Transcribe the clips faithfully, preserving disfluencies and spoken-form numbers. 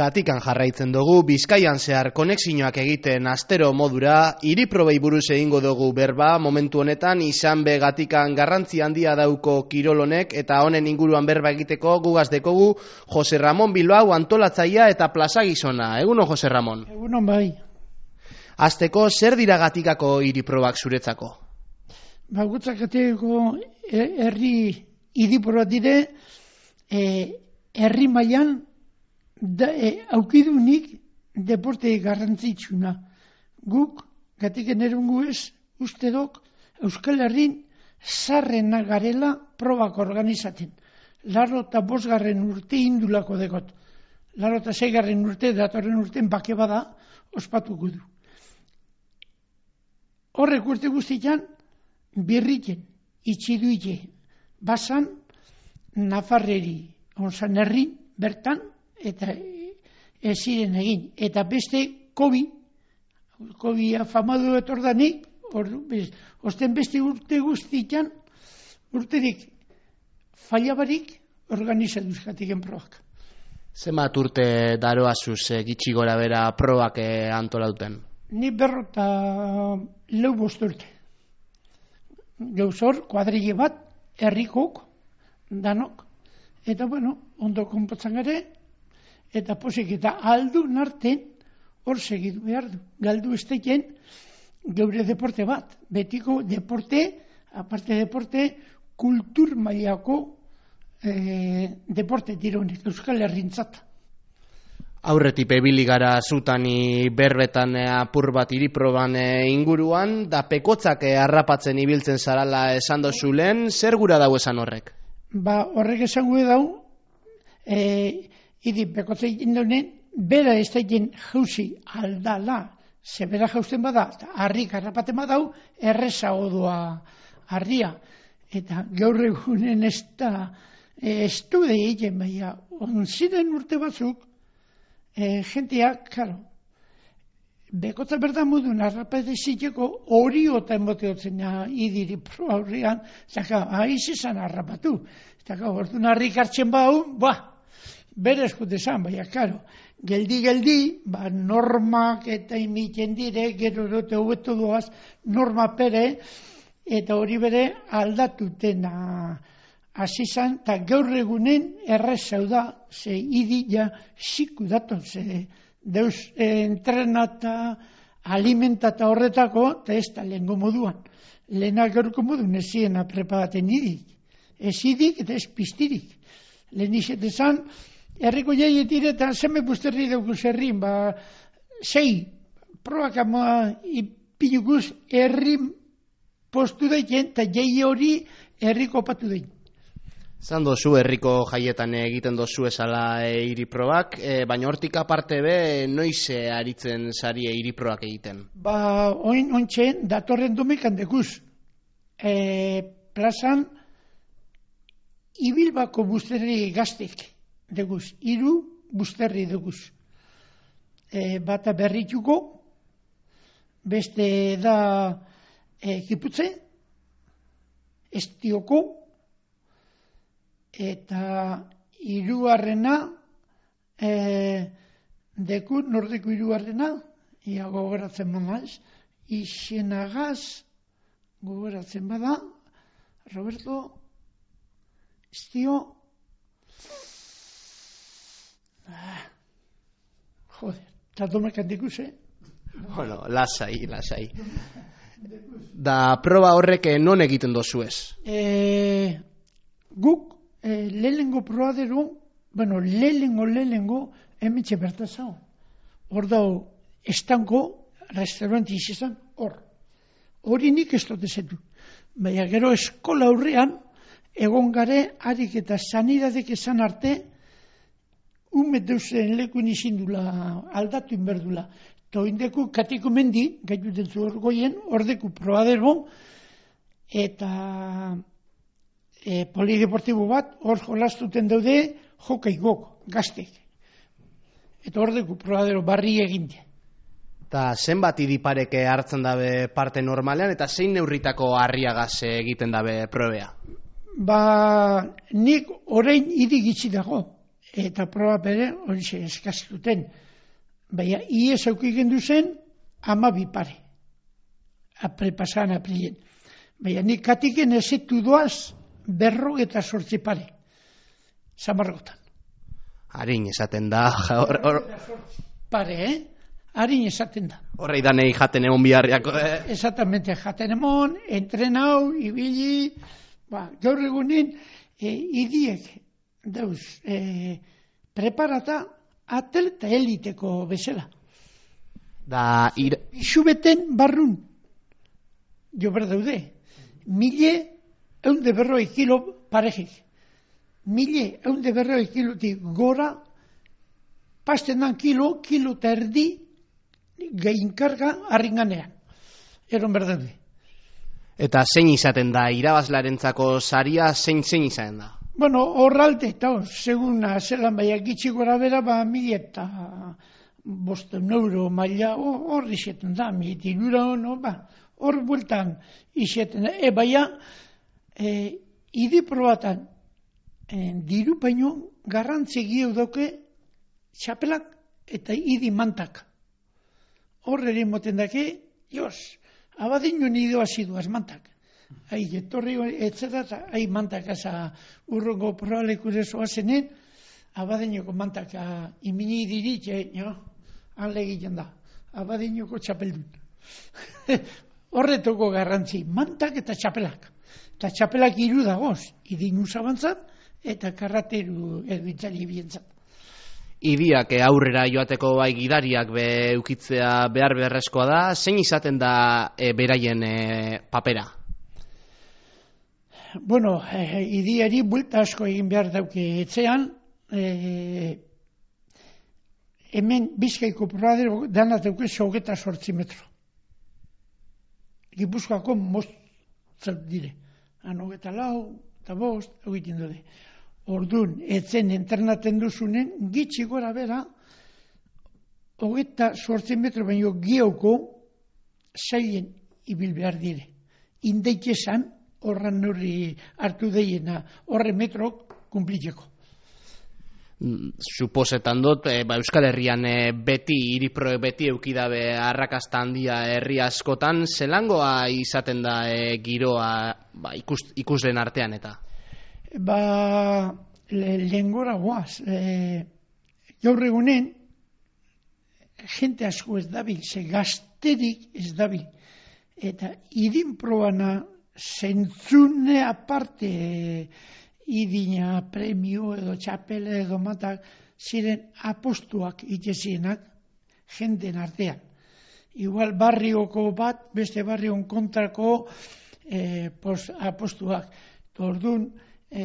Gatikan jarraitzen dugu, Bizkaian zehar konexioak egiten astero modura, hiriprobei buruz egingo dugu berba, momentu honetan izan be Gatikan garrantzi handia dauko kirolonek eta honen inguruan berba egiteko gugaz dekogu Jose Ramon Bilbao antolatzailea eta plaza gizona. Egunon, Jose Ramon? Egunon bai. Hasteko, zer dira Gatikako hiriprobak zuretzako? Ba, gutzak Gatikako herri hiriprobak dire, herri mailan Da, e, aukidunik deporte garrantzitsuna. Guk, Gatiken erungu ez, uste dok, Euskal Herrin zarrena garela probak organizaten. Laro eta bosgarren urte indulako dekot. Laro eta zeigarren urte, datorren urten bake bada, ospatuko du. Horrek urte guztian, birriken, itxiduike, basan, Nafarreri, onzan herrin, bertan, eta ez ziren egin. Eta beste kobi, kobi afamadu etordanik, osten beste urte guztitan, urterik fallabarik organizatuz Gatiken probak. Zenbat urte daroazuz gitxi gora bera probak antolauten? Ni berrota lau bost urte. Gauzor, kuadrille bat, herrikok, danok, eta bueno, ondo konpotzan gare, eta posik eta aldu narten hor segidu behar du. Galdu esteken geure deporte bat. Betiko deporte, aparte deporte, kultur mailako eh, deporte dironek, Euskal Herrintzat. Aurretik ebili gara zutani berbetan apur bat hiriproban inguruan, da pekotzak harrapatzen ibiltzen zarala esan dozulen, zer gura dau esan horrek? Ba, horrek esan gure dau, eh, Idi, bekotza egin daunen, bera ez da egin jauzi aldala, ze bera jauzen bada, harrik harrapaten badau, erreza odua harria. Eta gaur egunen ez da, ez du da egin, baina, onziren urte batzuk, e, jenteak, karo, bekotza berda modun harrapate ziteko hori ota emoteotzen idiri pro aurrian, zaka, haiz izan harrapatu. Zaka, orduan harrik hartzen bau, ba, bere eskute zan, baina, karo, geldi-geldi, ba, normak eta imiten dire, gero dute hobeto doaz, norma pere, eta hori bere aldatutena hasi zan, eta gaur egunen errezau da, ze idi ja ziku daton, ze deus entrenata, alimentata horretako, eta ez da lehenko moduan. Lehenak gaurko modun ez ziena preparaten idik. Ez idik eta ez piztirik. Lehen izetezan, herriko jaietik eta zeme busterri daukuz herrin, ba, zei, probak ama ipinukuz herrin postu daiken, eta jai hori herriko opatu daik. Zan dozu herriko jaietan egiten dozu esala hiriprobak, e, baina hortik aparte be, noiz aritzen zari hiriprobak egiten? Ba, oin ontsen, datorren domekan dekuz. E, plazan, Ibilbako busterri gaztek. Deguz, hiru busterri deguz. E, bata berrituko, beste da e, kiputze, estioko, eta hirugarrena e, deku, nordeko hirugarrena, ia gogoratzen manaz, izenagaz, gogoratzen bada, Roberto, estio, Ah, joder, eta domekan dikuz, eh? Bueno, lasai, lasai. Da proba horrek non egiten dozu ez? E, guk, e, lehengo probadero, bueno, lehengo, lehengo, emetxe bertazau. Hor dao, estanko, restauranti izan, hor. Hori nik ez dut ezetu. Baina gero eskola aurrean, egon gare, harik eta sanidadek esan arte, umet deusen lekun izindula, aldatu inberdula. Eta oindeku Katiko mendi, gaituten zu orgoien, ordeku probadero, eta e, polideportibo bat, hor jolastuten daude, jokaigok, gaztek. Eta ordeku probadero barri eginte. Eta zenbat idipareke hartzen dabe parte normalean, eta zein neurritako harriagaz egiten dabe probea? Ba, nik orain idi gitzi dago. eta proba bere, hori ze eskaztuten. Baina, ies aukiken duzen, amabi pare. Apre pasan aprilien. Baina, nik katiken ezetu doaz, berro eta sortzi pare. Zamargotan. Harin esaten da. Or, or... Pare, eh? Harin esaten da. Horrei danei jaten egon biharriako, eh? Exactamente, jaten emon, entrenau, ibili, ba, gaur egunen, e, idiek, dauz, e, preparata, atleta eliteko bezala. Da, ir... Isubeten barrun, jo berdaude, mille, eunde berroi kilo parejik. Mille, eunde berroi kilotik gora, pasten dan kilo, kilo eta erdi, gainkarga harringanean. Eron berdaude. Eta zein izaten da, irabazlarentzako saria zein zein izaten da? Bueno, horralde, eta seguna zelan baina gitxi gora bera, ba, mila eta bosten euro maila hor izeten da, mila eta irura hono, ba, hor bueltan izeten da. E, baina, e, idi probatan, e, diru baino garrantzi gio doke txapelak eta idi mantak. Hor ere moten dake, jos, abadino nido asiduaz mantak. Hai, etorri etzera, hai mantak asa urrongo probalekure zoazenen, abadinoko mantak imini diritxe, jo, han legiten da, abadinoko txapeldun. Horretoko garrantzi, mantak eta txapelak. Eta txapelak hiru dagoz, idinu zabantzat eta karrateru erbitzari bientzat. Idiak aurrera joateko bai gidariak be eukitzea behar beharrezkoa da, zein izaten da e, beraien e, papera? Bueno, e, idiari buelta asko egin behar dauke etzean, e, hemen Bizkaiko probadero dana dauke hogeita zortzi metro. Gipuzkoako moztzat dire. Han hogeita lau, eta bost, egiten dute. Orduan, etzen internaten duzunen, gitxi gora bera, hogeita zortzi metro baino gioko zailen ibil behar dire. Indeikesan, horran norri hartu deiena, horre metrok kumplitzeko. Suposetan dut, e, ba, Euskal Herrian e, beti, iriproek beti eukidabe arrakasta handia herri askotan, zelangoa izaten da e, giroa ba, ikus, ikuslen artean eta? Ba, le, lehengora guaz. E, gaur egunen, jente asko ez dabil, ze gazterik ez dabil. Eta idin probana zentzune aparte e, idina, premio edo txapele edo matak ziren apostuak itezienak jenten artean. Igual barrioko bat, beste barrion kontrako e, pos, apostuak. Orduan, e,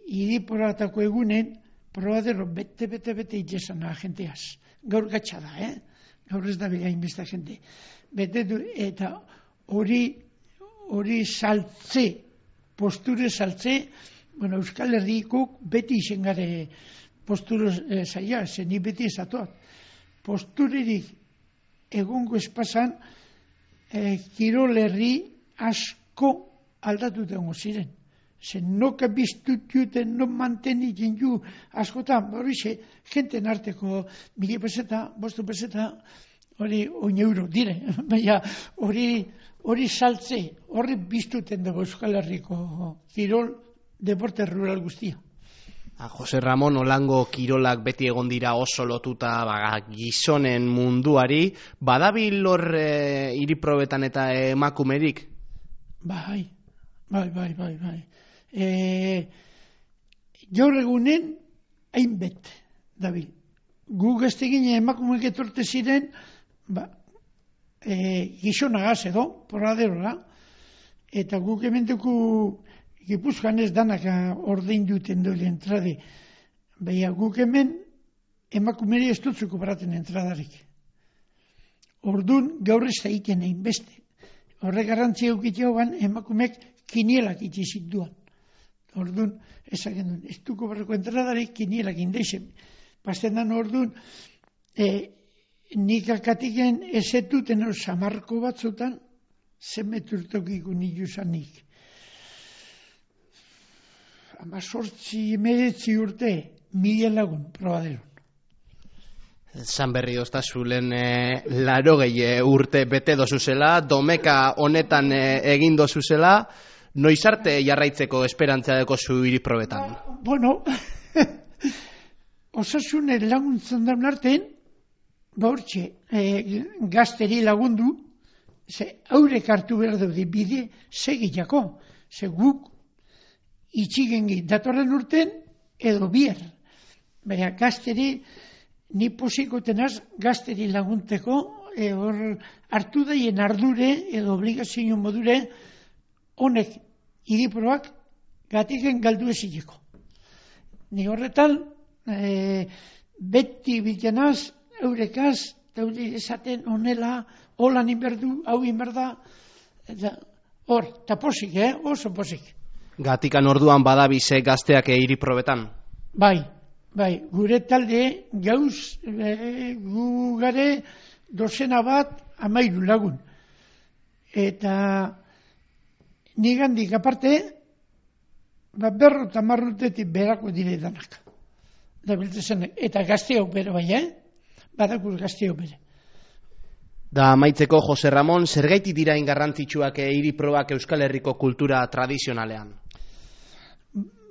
idiporatako egunen, probadero bete-bete-bete itezana jenteaz. Gaur gatsa da, eh? Gaur ez da bilain besta jente. Bete du, eta hori hori saltze, posture saltze, bueno, Euskal Herrikuk beti izen gare posture e, zaila, zeni beti esatuak. Posturerik egongo espazan, e, Kirol herri asko aldatu dengo ziren. Zen noka biztut juten, no manteni jenju askotan, hori ze, jenten arteko mili peseta, bostu peseta, hori oin euro dire, baina hori hori saltze, horri biztuten dago Euskal Herriko kirol deporte rural guztia. A, Jose Ramon, Olango kirolak beti egon dira oso lotuta ba, gizonen munduari, badabil hor e, iriprobetan eta emakumerik? Bai, bai, bai, bai, bai. E, Gaur egunen, hainbet, dabil. Gu gaztegin emakumeek etorte ziren, ba, e, gizonagaz edo, porraderora, eta guk ementuko Gipuzkoan ez danak ordein duten dole entrade. Baina guk hemen emakumeri ez dutzuko baraten entradarik. Orduan gaur ez da iken egin beste. Horre garrantzia eukitio ban emakumek kinielak itxizit duan. Orduan ezagen duen, ez duko barrako entradarik kinielak indeixen. Pasten orduan, e, nik akatiken ezetuten hor samarko batzutan, zemeturtokiko niluzanik. Ama sortzi emeretzi urte, mila lagun probaderon. Zan berri oztazulen e, laro gehi urte bete dozuzela, domeka honetan e, egin dozuzela, noiz arte jarraitzeko esperantzia deko zu iriprobetan? Ba, bueno, osasunen laguntzen daun artean, ba hortxe, e, gazteri lagundu, ze haurek hartu behar daude bide segilako, ze guk itxigengi datorren urten edo bier. Baina gazteri, ni posikotenaz gazteri lagunteko, e, hor hartu daien ardure edo obligazio modure honek iriproak gatiken galdu ezileko. Ni horretan, e, beti bitanaz, eurekaz, daude esaten onela, holan inberdu, hau inberda, eta hor, eta posik, eh? Oso posik. Gatikan orduan badabize gazteak iriprobetan? Bai, bai, gure talde gauz, e, gu gare dozena bat amairu lagun. Eta nigandik aparte, ba, berro eta marrutetik berako dire danak. Da biltzen, eta gazteok bere bai, eh? Badakuz gazteok bere. Da amaitzeko, Jose Ramon, zergaiti dira ingarrantzitsuak iriprobak Euskal Herriko kultura tradizionalean?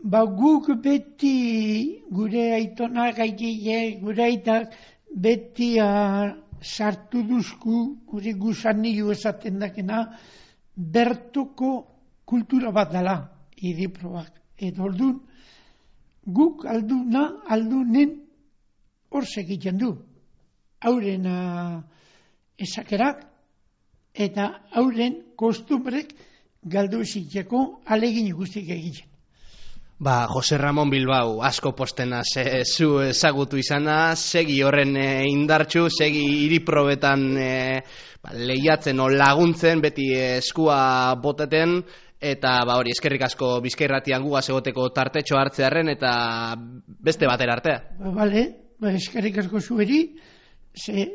Ba, guk beti gure aitona gaitile, gure aitak beti a, sartu duzku, gure gusanillo esaten dakena, bertoko kultura bat dela, iriprobak. Eta orduan, guk alduna, aldunen hor segiten du. Hauren esakerak eta hauren kostumbrek galdu eziteko alegin guztik egiten. Ba, Jose Ramon Bilbao, asko postena ze, zu ezagutu izana, segi horren e, indartxu, segi iriprobetan e, ba, lehiatzen o laguntzen, beti eskua boteten, eta ba hori, eskerrik asko Bizkairratian gugaz egoteko tartetxo hartzearen, eta beste batera artea. Ba, bale, ba, eskerrik asko zueri, ze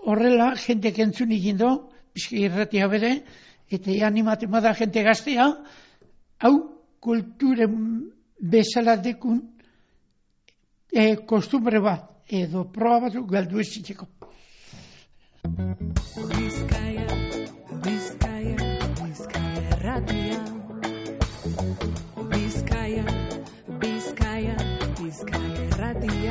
horrela, jentek entzun ikindo, Bizkairratia bere, eta animaten bada jente gaztea, hau, kulturen bezala dekun e, kostumbre bat, edo proba batzuk galdu ezitzeko. Bizkaia, Bizkaia, Bizkaia erratia. Bizkaia, Bizkaia, Bizkaia erratia.